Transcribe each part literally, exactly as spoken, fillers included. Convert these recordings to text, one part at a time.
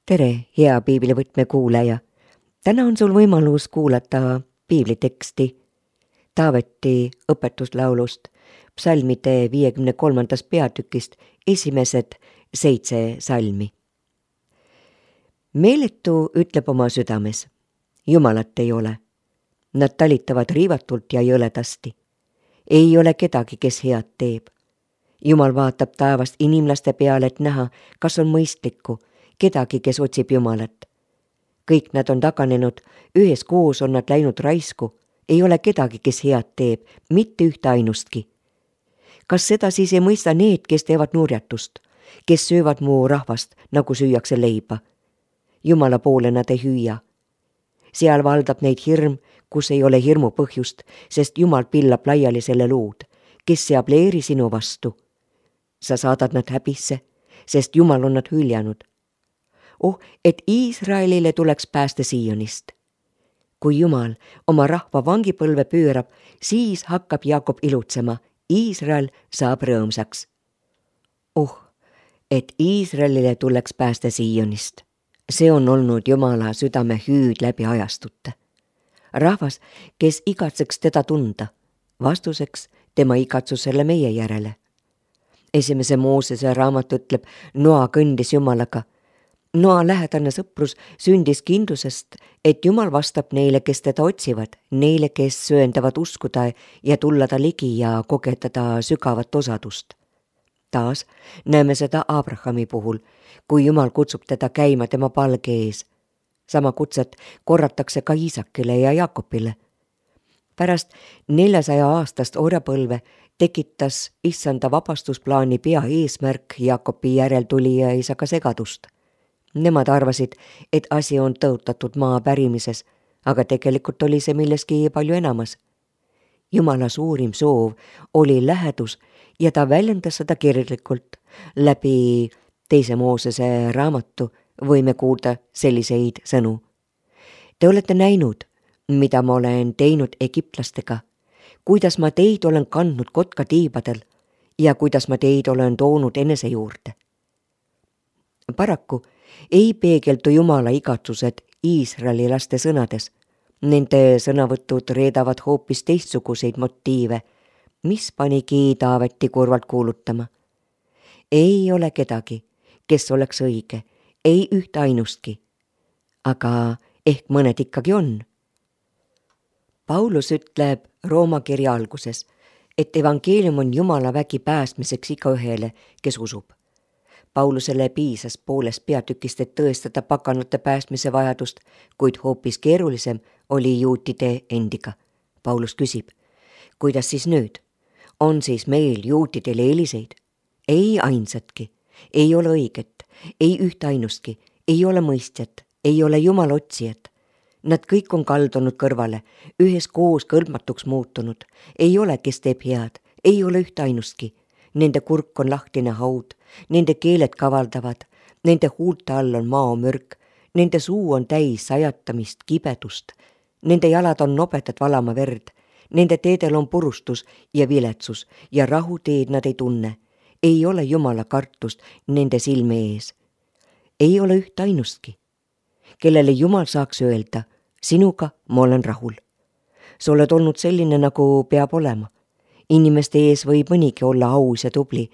tere, hea piiblivõtme kuulaja! Täna on sul võimalus kuulata piibliteksti Taaveti õpetuslaulust psalmide viiekümne kolmandast peatükist esimesed seitse salmi. Meeletu ütleb oma südames, Jumalat ei ole. Nad talitavad riivatult ja jõledasti. Ei ole kedagi, kes head teeb. Jumal vaatab taevast inimlaste peale, et näha, kas on mõistlikku, kedagi, kes otsib Jumalat. Kõik nad on taganenud, üheskoos on nad läinud raisku, ei ole kedagi, kes head teeb, mitte ühte ainustki. Kas seda siis ei mõista need, kes teevad nurjatust, kes söövad mu rahvast, nagu süüakse leiba? Jumala poole nad ei hüüa. Seal valdab neid hirm, kus ei ole hirmu põhjust, sest Jumal pillab laiali selle luud, kes seab leeri sinu vastu. Sa saadad nad häbisse, sest Jumal on nad hüljanud. Oh, et Iisraelile tuleks pääste Siionist. Kui Jumal oma rahva vangipõlve pöörab, siis hakkab Jaakob ilutsema, Iisrael saab rõõmsaks. Oh, et Iisraelile tuleks pääste Siionist. See on olnud Jumala südame hüüd läbi ajastute. Rahvas, kes igatseks teda tunda, vastuseks tema igatsusele meie järele. Esimese Moosese raamat ütleb, Noa kõndis Jumalaga. Noa lähedane sõprus sündis kindlusest, et Jumal vastab neile, kes teda otsivad, neile, kes sööndavad uskuda ja tulla ta ligi ja kogetada sügavat osadust. Taas näeme seda Abrahami puhul, kui Jumal kutsub teda käima tema palge ees. Sama kutset korratakse ka Iisakile ja Jaakobile. Pärast neljasaja aastast orjapõlve tekitas issanda vabastusplaani pea eesmärk Jaakobi järeltulija isaga segadust. Nemad arvasid, et asi on tõotatud maa pärimises, aga tegelikult oli see milleski palju enamas. Jumala suurim soov oli lähedus ja ta väljendas seda kirjalikult. Läbi teise Moosese raamatu võime kuulda selliseid sõnu. Te olete näinud, mida ma olen teinud egiptlastega, kuidas ma teid olen kandnud kotkatiibadel ja kuidas ma teid olen toonud enese juurde. Paraku ei peegeldu Jumala igatsused Iisraeli laste sõnades. Nende sõnavõtud reedavad hoopis teistsuguseid motiive, mis panigi Taaveti kurvalt kuulutama. Ei ole kedagi, kes oleks õige, ei ühte ainustki, aga ehk mõned ikkagi on. Paulus ütleb Rooma kirja alguses, et evangeelium on Jumala vägi päästmiseks igaühele, kes usub. Paulusele piisas poolest peatükist, et tõestada paganate päästmise vajadust, kuid hoopis keerulisem oli juutide endiga. Paulus küsib, kuidas siis nüüd? On siis meil juutidel eeliseid? Ei ainsatki, ei ole õiget, ei ühte ainustki, ei ole mõistjat, ei ole Jumala otsijat. Nad kõik on kaldunud kõrvale, üheskoos kõlbmatuks muutunud, ei ole, kes teeb head, ei ole ühte ainustki. Nende kurk on lahtine haud, nende keeled kavaldavad, nende huulte all on maomürk, nende suu on täis sajatamist, kibedust, nende jalad on nobedad valama verd, nende teedel on purustus ja viletsus ja rahuteed nad ei tunne. Ei ole Jumala kartust nende silme ees. Ei ole ühte ainustki, kellele Jumal saaks öelda, sinuga ma olen rahul. Sa oled olnud selline, nagu peab olema. Inimeste ees võib mõnigi olla aus ja tubli,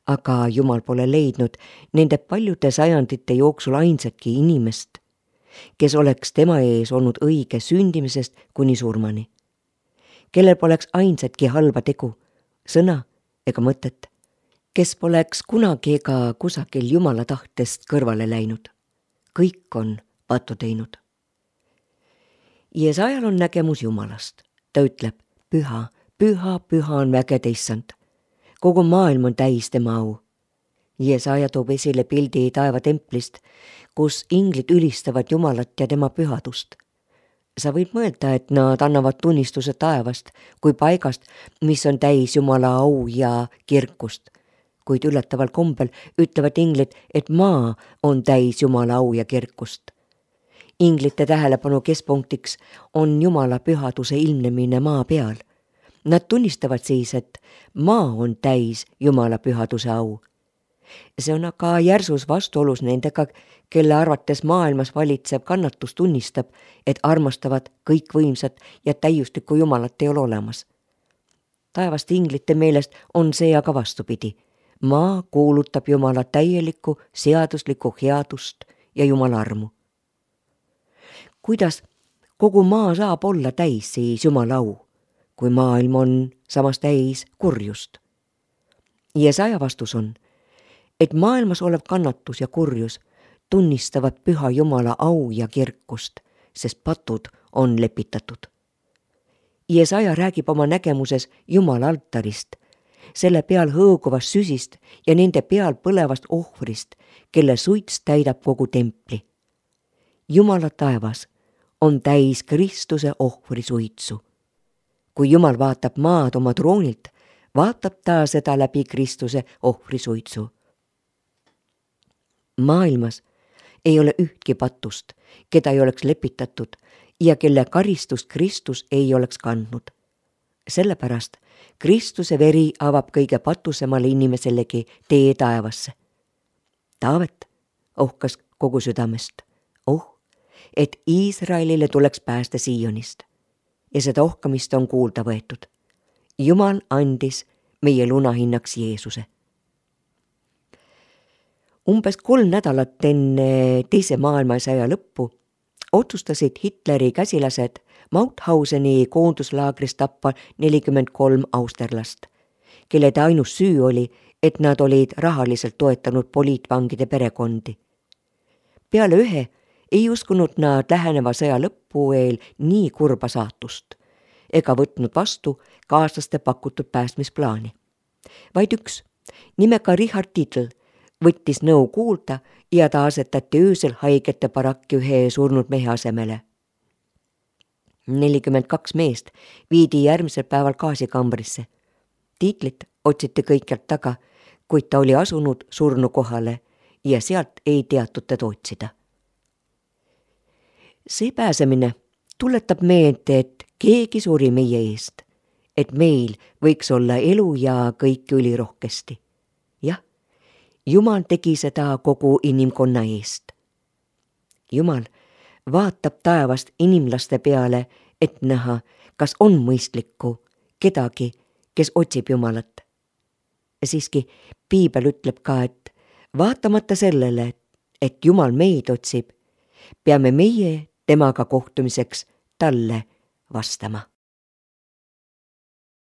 aga Jumal pole leidnud nende paljude sajandite jooksul ainsatki inimest, kes oleks tema ees olnud õige sündimisest kuni surmani. Kellel poleks ainsatki halba tegu, sõna ega mõtet, kes poleks kunagi ega kusagil Jumala tahtest kõrvale läinud. Kõik on pattu teinud. Jeesajal on nägemus Jumalast. Ta ütleb, püha, püha, püha on vägede issand. Kogu maailm on täis tema au. Jeesaja toob esile pildi taevatemplist, kus inglid ülistavad Jumalat ja tema pühadust. Sa võid mõelda, et nad annavad tunnistuse taevast kui paigast, mis on täis Jumala au ja kirkust. Kuid üllataval kombel ütlevad inglid, et maa on täis Jumala au ja kirkust. Inglite tähelepanu keskpunktiks on Jumala pühaduse ilmnemine maa peal. Nad tunnistavad siis, et maa on täis Jumala pühaduse au. see on aga järsus vastuolus nendega, kelle arvates maailmas valitsev kannatus tunnistab, et armastavad kõikvõimsat ja täiuslikku Jumalat ei ole olemas. Taevaste inglite meelest on see aga vastupidi. Maa kuulutab Jumala täielikku seaduslikku headust ja Jumala armu. Kuidas kogu maa saab olla täis siis Jumala au, kui maailm on samas täis kurjust? Jesaja vastus on, et maailmas olev kannatus ja kurjus tunnistavad püha Jumala au ja kirkust, sest patud on lepitatud. Jesaja räägib oma nägemuses Jumala altarist, selle peal hõõguvast süsist ja nende peal põlevast ohvrist, kelle suits täidab kogu templi. Jumala taevas on täis Kristuse ohvri suitsu. Kui Jumal vaatab maad oma troonilt, vaatab ta seda läbi Kristuse ohvri suitsu. Maailmas ei ole ühtki patust, keda ei oleks lepitatud ja kelle karistust Kristus ei oleks kandnud. Sellepärast Kristuse veri avab kõige patusemale inimeselegi tee taevasse. Taavet ohkas kogu südamest, oh, et Iisraelile tuleks päästa Siionist. Ja seda ohkamist on kuulda võetud. Jumal andis meie lunahinnaks Jeesuse. Umbes kolm nädalat enne teise maailmasõja lõppu otsustasid Hitleri käsilased Mauthauseni koonduslaagris tappa nelikümmend kolm austerlast, kelle ainus süü oli, et nad olid rahaliselt toetanud poliitvangide perekondi. Peale ühe ei uskunud nad läheneva sõja lõppu eel nii kurba saatust ega võtnud vastu kaaslaste pakutud päästmisplaani. Vaid üks, nimega Richard Tiedl, võttis nõu kuulda ja ta asetati öösel haigete barakki ühe surnud mehe asemele. nelikümmend kaks meest viidi järgmisel päeval gaasikambrisse. Tiidlit otsiti kõikjalt taga, kuid ta oli asunud surnu kohale ja sealt ei teatud teda otsida. See pääsemine tuletab meelde, et keegi suri meie eest, et meil võiks olla elu ja kõik ülirohkesti. Jah, Jumal tegi seda kogu inimkonna eest. Jumal vaatab taevast inimlaste peale, et näha, kas on mõistlikku kedagi, kes otsib Jumalat. Siiski Piibel ütleb ka, et vaatamata sellele, et Jumal meid otsib, peame meie temaga kohtumiseks talle vastama.